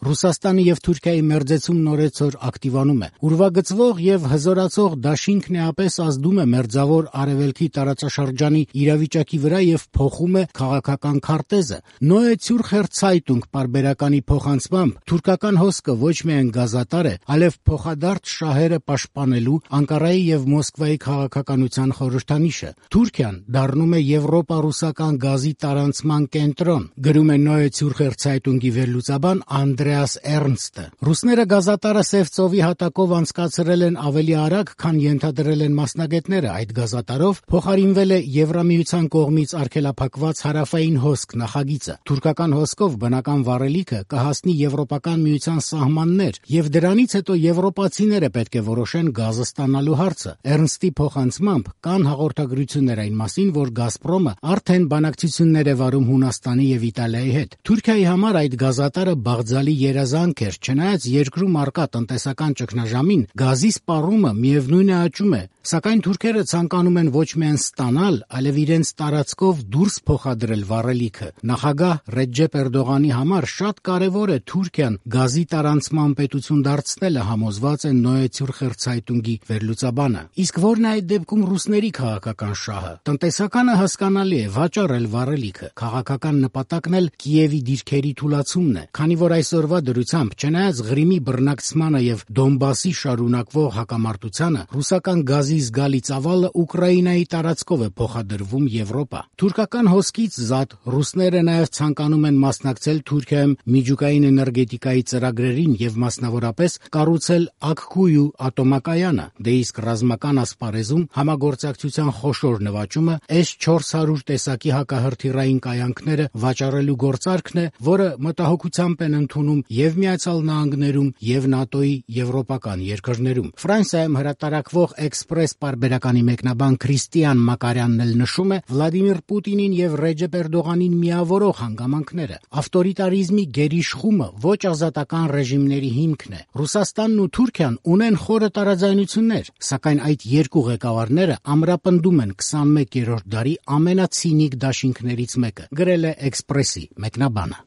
Ռուսաստանի եւ Թուրքիայի մերձեցում նորեցօր ակտիվանում է։ Ուրվագծվող եւ հզորացող դաշինքն էապես ազդում է մերձավոր արևելքի տարածաշրջանի իրավիճակի վրա եւ փոխում է քաղաքական քարտեզը։ Neue Zürcher Zeitung պարբերականի փոխանցմամբ թուրքական հոսքը ոչ միայն գազատար է, այլև փոխադարձ շահերը պաշտպանելու Անկարայի եւ Մոսկվայի քաղաքականության խորհրդանիշը։ Թուրքիան դառնում է եվրոպա-ռուսական գազի տարանցման կենտրոն, գրում է Neue Zürcher Zeitung-ի վերլուծաբան Անդրեաս Էրնստը։ Ռուսները գազատարը Սև ծովի հատակով անցկացրել են ավելի արագ, քան ենթադրել են մասնագետները։ Այդ գազատարով փոխարինվել է Եվրամիության կողմից արգելափակված հարավային հոսք նախագիծը։ Թուրքական հոսքով բնական վառելիքը կհասնի Եվրոպական միության սահմաններ, եւ դրանից հետո եվրոպացիները պետք է որոշեն գազը ստանալու հարցը։ Էրնստի փոխանցմամբ կան հաղորդագրություններ այն մասին, որ Գազպրոմը արդեն բանակցություններ է վարում Հունաստանի եւ Իտալիայի հետ։ Թուրքիայի համար այդ գազատարը բաղձալի երազանք էր, չնայած երկրում առկա տնտեսական ճգնաժամին գազի սպառումը միևնույն է աճում է, սակայն թուրքերը ցանկանում են ոչ միայն ստանալ, այլև իրենց տարածքով դուրս փոխադրել վառելիքը։ Նախագահ Ռեջեփ Էրդողանի համար շատ կարևոր է Թուրքիան գազի տարանցման պետություն դարձնելը, համոզված է Neue Zürcher Zeitung-ի վերլուծաբանը։ Իսկ որն է այդ դեպքում ռուսների քաղաքական շահը։ Տնտեսականը հասկանալի է, վաճառել վառելիքը, քաղաքական նպատակն էլ Կիևի դիրքերի թուլացումն է, քանի որ այսօրվա դրությամբ, չնայած Ղրիմի բռնակցմանը եւ Դոնբասի շարունակվող հակամարտությանը, ռուսական գազի զգալի ծավալը Ուկրաինայի տարածքով է փոխադրվում Եվրոպա։ Թուրքական հոսքից զատ ռուսները նաեւ ցանկանում են մասնակցել Թուրքիայում միջուկային էներգետիկայի ծրագրերին եւ մասնավորապես կառուցել Աքքույու ատոմակայանը։ Դե իսկ ռազմական ասպարեզում համագործակցության խոշոր նվաճումը S-400 տեսակի հակահրթիռային կայանքները վաճառելու գործարքն է, որը մտահոգությամբ են ընդունում եւ Միացյալ Նահանգներում եւ ՆԱՏՕ-ի եվրոպական երկրներում։ Ֆրանսիայում հրատարակվող Էքսպրես պարբերականի մեկնաբան Քրիստիան Մակարյանն էլ նշում է Վլադիմիր Պուտինին եւ Ռեջեփ Էրդողանին միավորող հանգամանքները։ Ավտորիտարիզմի գերիշխումը ոչ ազատական ռեժիմների հիմքն է։ Ռուսաստանն ու Թուրքիան ունեն խորը տարաձայնություններ, սակայն այդ երկու ղեկավարները ամրապնդում են 21-րդ դարի ամենացինիկ դաշինքներից մեկը, գրել է Էքսպրեսի մեկնաբանը։